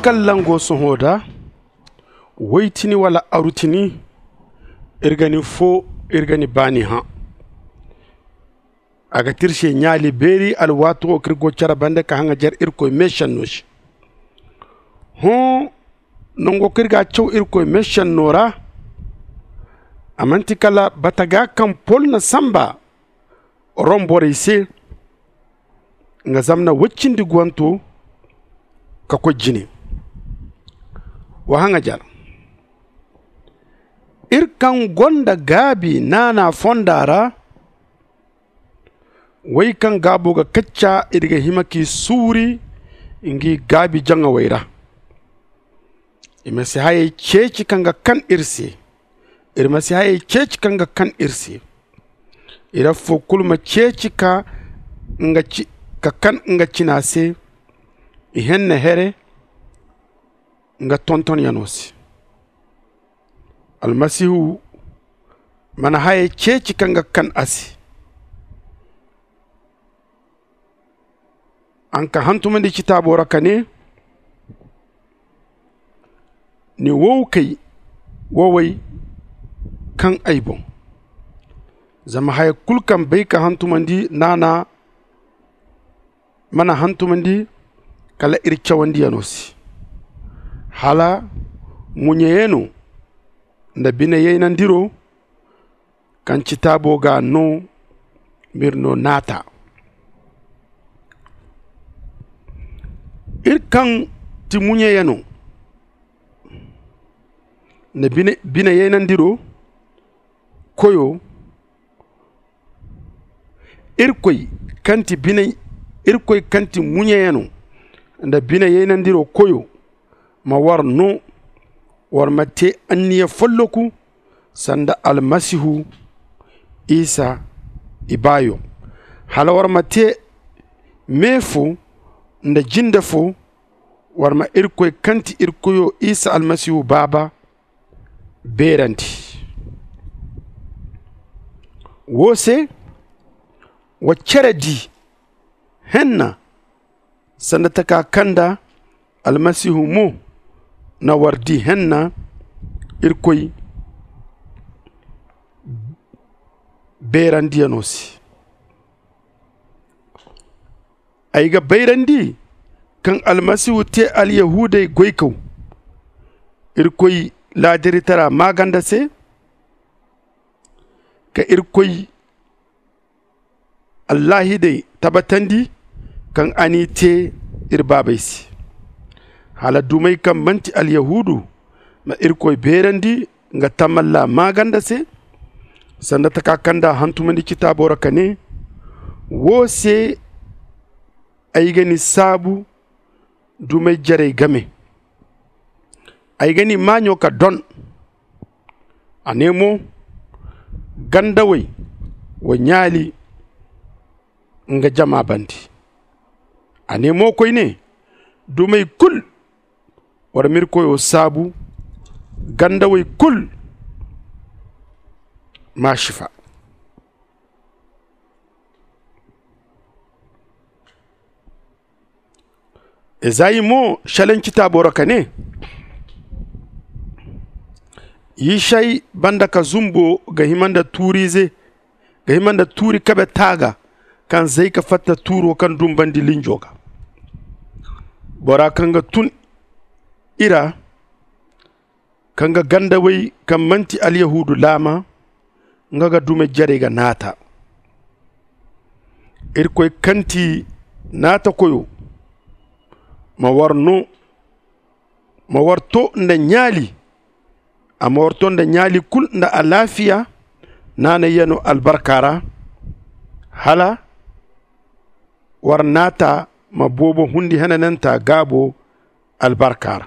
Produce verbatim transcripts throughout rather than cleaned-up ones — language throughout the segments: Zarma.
Kaŋ lango sohõ da woy tini wala aru tini, iri ga ni foo, iri ga ni baani hã. A ga ti iri se ɲaali beeri alwaato wo kaŋ iri go cere bande ka haŋajer irkoy meesenno se. Hõ, nango kaŋ iri ga a caw irkoy meesenno ra, a manti kala bataga kaŋ pol na samba rom borey se, nga zamna woy cindi guwanto ka koy jine. Wa haŋajer, iri kaŋ gonda gaabi naana fonda ra, woy kaŋ gaabo ga kacca, iri ga hima k'i suuri ngi gaabi jaŋawey ra. I ma si hayey ceeci kaŋ ga kan iri se. Iri ma si hayey ceeci kaŋ ga kan iri se. Iri affoo kulu ma ceeci ka nga ci ka kan nga cina se. I henne here nga tontonyano se. Almasihu mana hayey ceeci kaŋ ga kan a se. A na ka hantumandi citaabo ra ka ne, ni wowkey wowey kaŋ ay boŋ. Zama haya kulu kaŋ bay ka hantumandi naana mana hantumandi kala iri cawandiyano se. Hala ŋuɲeyano nda bineyaynandiro kaŋ citaabo ga no m'iri no naata. Iri kaŋ ti ŋuɲeyano nda bineyaynandiro koyo, irkoy kaŋ ti bine irkoy kaŋ ti ŋuɲeyano nda bineyaynandiro koyo ma war no war ma te anniya folloku sanda almasihu isa ibaayo. Hala war ma te me fo nda jinde fo war ma irkoy kaŋ ti iri koyo isa almasihu baaba beerandi. Wo se wa cere di henna sanda taka kaŋ nda almasihu mo na war di henna irkoy beerandiyano se. Ay ga bayrandi kaŋ almasihu te alyahuudey goykaw irkoy laadiritara maaganda se ka irkoy allaahidey tabbatandi kaŋ a n'i te iri baabey se. Hala dumey kaŋ manti alyahuudu ma irkoy beerandi nga tamalla maaganda se sanda taka kaŋ nda a hantumandi citaabo ra ka ne, wo se ay ga ni saabu dumey jarey game. Ay ga ni maaɲo ka don. A ne mo, gandawey wa ɲaali nga jama bande. A ne mo koyne, dumey kulu war m'iri koyo saabu. Gandawey kulu ma sifa. Ezayi mo selaŋ citaabo ra ka ne, yisay banda ka zumbo ga hima nda tuuriize ga hima nda tuuri kabe taaga kaŋ zay ka fatta tuuro kaŋ dumbandi linjo ga. Bora kaŋ ga tun i ra kaŋ ga gandawey kaŋ manti alyahuudu laama nga ga dume jarey ga naata. Irkoy kaŋ ti naatakoyo ma war no ma war to nda ɲaali. A ma war to nda ɲaali kulu nda alaafiya naanayyano albarka ra hala war naata ma boobo hundi henananta gaabo albarka ra.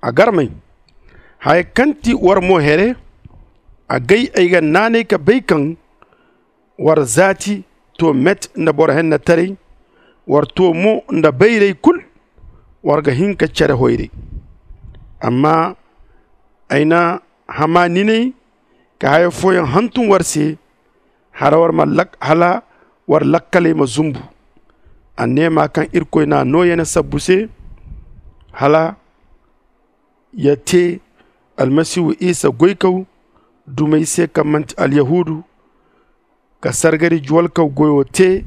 A garmey haya kaŋ ti war mo here agay ay ga naanay ka bay kaŋ war zaati to met nda boro hennetaray. War to mo nda bayray kul war ga hin ka cere hoyray. Amma ay na hamaninay ka haya fooyaŋ hantum war se hala war lakkaley ma zumbu. A neema kaŋ irkoy n'a nooyane sabbu se, hala ya te almasihu isa goykaw dumey se kaŋ manti alyahuudu, ka sargari juwalkaw goyo te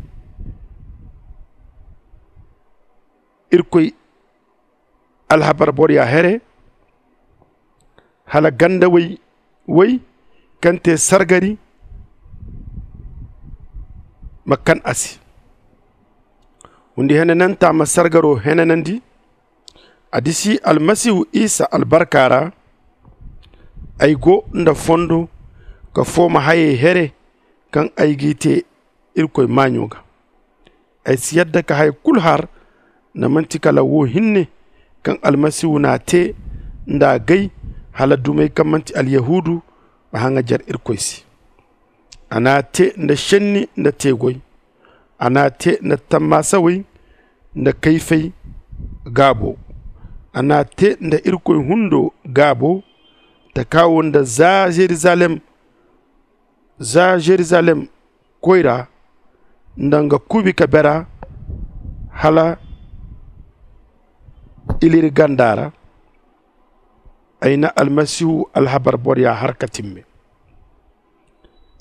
irkoy alhabar borya here, hala gandawey wey kaŋ te sargari ma kan a se. Hundi henananta ma sargaro henanandi. A disi almasihu isa albarka ra. Ay go nda fondo ka fooma hayey here kaŋ ay g'i te irkoy maaɲo ga. Ay si yadda ka haya kulu har nda manti kala wo hinne kaŋ almasihu n'a te nd'a gay, hala dumey kaŋ manti alyahuudu ma haŋajer irkoy se. A n'a te nda šenni nda teegoy. A n'a te nda tammaasawey nda kayfey gaabo. A n'a te nda irkoy hundo gaabo. Takaawo nda za žerizalem za žerizalem koyra nda nga kuubi ka bera hala iliri ganda ra. Ay na almasihu alhabar borya har ka timme.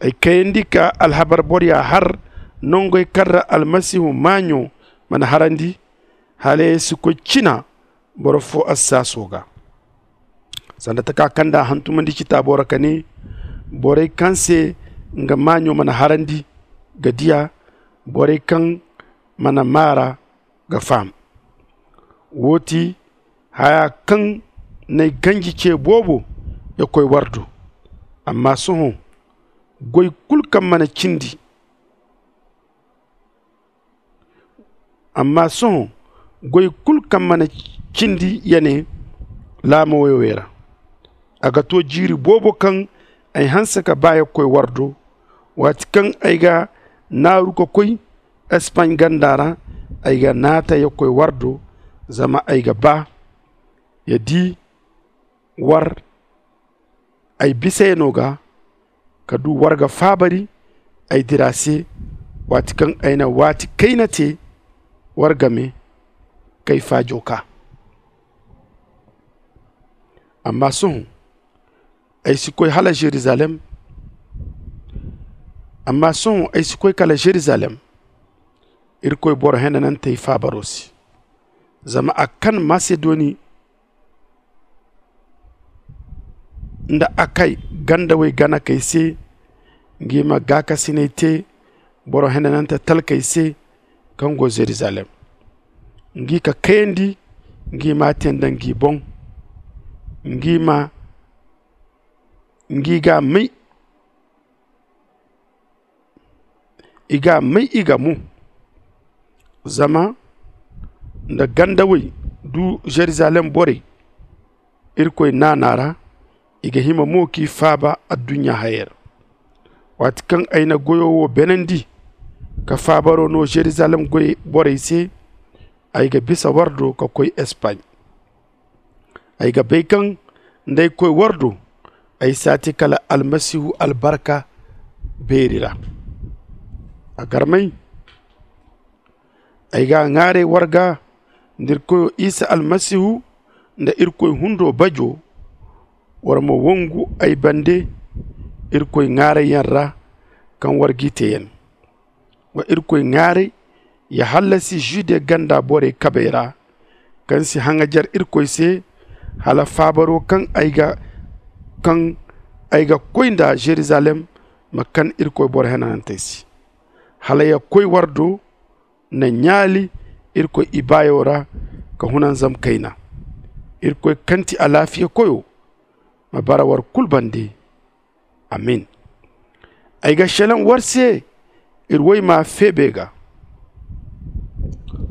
Ay kayandi ka alhabar borya har nongey kaŋ ra almasihu maaɲo mana harandi, hala ay si koy cina boro fo assaaso ga. Sanda taka kaŋ nda a hantumandi citaabo ra ka ne, borey kaŋ se nga maaɲo mana harandi ga diya, borey kaŋ mana maara ga faham. Wo ti haya kaŋ n'ay ganji ce boobo ya koy war do. Amma sohõ goy kulu kaŋ mana cindi amma sohõ goy kulu kaŋ mana cindi ya ne laama woyowey ra. A ga to jiiri boobo kaŋ ay hanse ka ba ya koy war do. Waati kaŋ ay ga naaru ka koy espaɲ ganda ra, ay ga naata ya koy war do. Zama ay ga ba ya di war ay bisayano ga ka du war ga faabari ay dira se. Waati kaŋ ay na waati kayna te war game kay faajo ka. Amma sohõ ay si koy hala žerizalem. Amma sohõ ay si koy kala žerizalem irkoy boro henanantey faabaro se. Zama a kan masedoni nda akay gandawey ganakey se ngi ma gaakasinay te boro henanante talkey se kaŋ go žerizalem. Ngi ka kayandi ngi ma a te nda ngi boŋ. Ngi ma ngi ga may i ga may i ga mo. Zama nda gandawey du žerizalem borey irkoy naana ra, i ga hima mo k'i faaba adduɲɲa hayey ra. Waati kaŋ ay na goyo wo beenandi ka faabaro no žerizalem goy borey se, ay ga bisa war do ka koy espaɲ. Ay ga bay kaŋ nda ay koy war do ay si a te kala almasihu albarka beeri ra. A garmay ay ga a ŋwaaray war ga nda iri koyo isa almasihu nda irkoy hundo bajo. War ma wongu ay bande irkoy ŋwaarayyaŋ ra kaŋ war g'i te yaŋ. Wa irkoy ŋwaaray ya hallasi žude ganda borey kabey ra kaŋ si haŋajer irkoy se hala faabaro kaŋ ay ga koy nda žerizalem ma kan irkoy boro henanantey se. Hala ya koy war do na ɲaali irkoy ibaayo ra ka hunanzam kayna. Irkoy kaŋ ti alaafiya koyo ma bara war kulu bande. Amin. Ay ga šelaŋ war se iri woy ma feebe ga.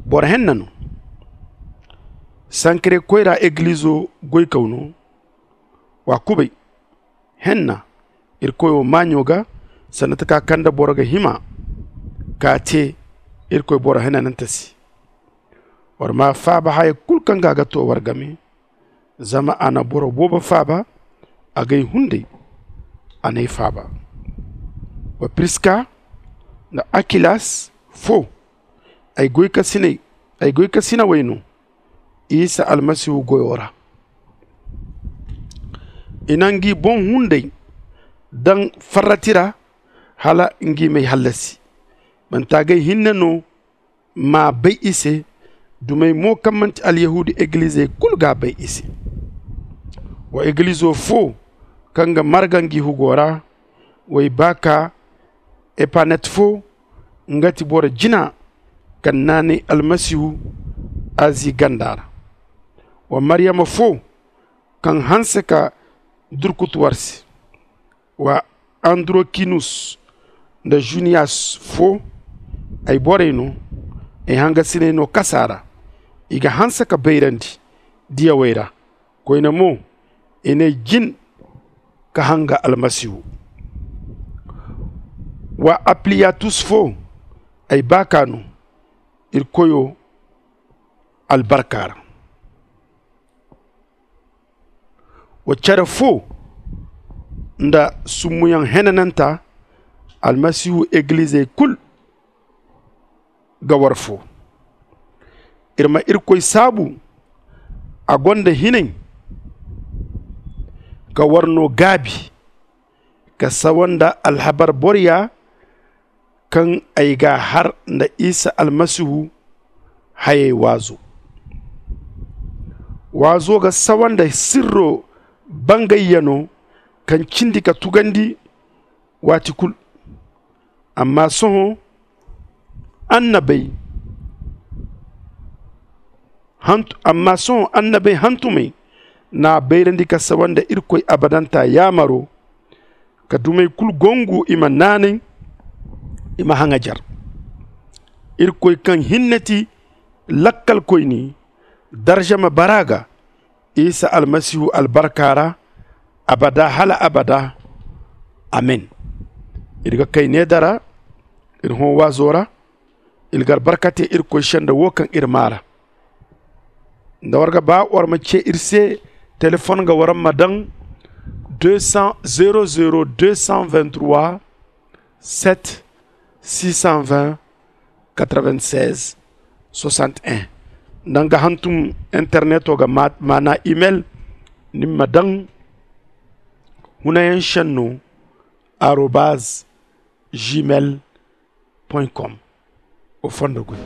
Boro henna no. Sankare koyra egilizo goykaw no. Wa kubay henna iri koyo maaɲo ga sanda taka kaŋ nda boro ga hima ka te iri koy boro henanante se. War ma faaba haya kulu kaŋ ga a ga to war game. Zama a na boro boobo faaba agay hunday. A n'ay faaba. Wa priska nda akilas fo ay goykasinawey no isa almasihu goyo ra. I na ngi boŋ hunday daŋ farrati ra hala ngi m'ay hallasi. Mantaagay hinne no m'a bay i se. Dumey mo kaŋ manti alyahuudu egilizey kulu g'a bay i se. Wa egilizo fo kaŋ ga marga ngi hugo ra, w'ay baaka epanet fo, nga ti boro jina kaŋ naanay almasihu azi ganda ra. Wa maryama fo kaŋ hanse ka durkutu war se. Wa androkinus nda juniyas fo, ay borey no, ay hangasiney no kasa ra. I ga hanse ka bayrandi diyawey ra. Koyne mo, i n'ay jin ka hanga almasihu. Wa apliyatus fo, ay baaka no irkoyo albarka ra. Wa care fo nda summuyaŋ henananta almasihu egilizey kulu ga war fo. Iri ma irkoy saabu. A gonda hinay ka war no gaabi ka sawa nda alhabar boroya kaŋ ay g'a har nda isa almasihu hayey waazo. Waazo ga sawa nda sirro bangayyano kaŋ cindi ka tugandi waati kulu. Amma sohõ annabey amma sohõ annabey hantumey n'a bayrandi ka sawa nda irkoy abadanta yaamaro, ka dumey kulu gongu i ma naanay, i ma haŋajer. Irkoy kaŋ hinne ti lakkalkoyni, darza ma bara a ga isa almasihu albarka ra, abada hala abada. Amin. Iri ga kay needa ra, iri hõ waazo ra. Iri ga albarka te irkoy senda wo kaŋ iri maa ra. Nda war ga ba war ma ce iri se, telefon ga war ma daŋ deux cents zéro zéro deux cent vingt-trois sept six cent vingt quatre-vingt-seize soixante-un. Nda nga hantum interneto ga maana email, ni ma daŋ hunayaŋ senno arobaz gmail point com. O fondo goy.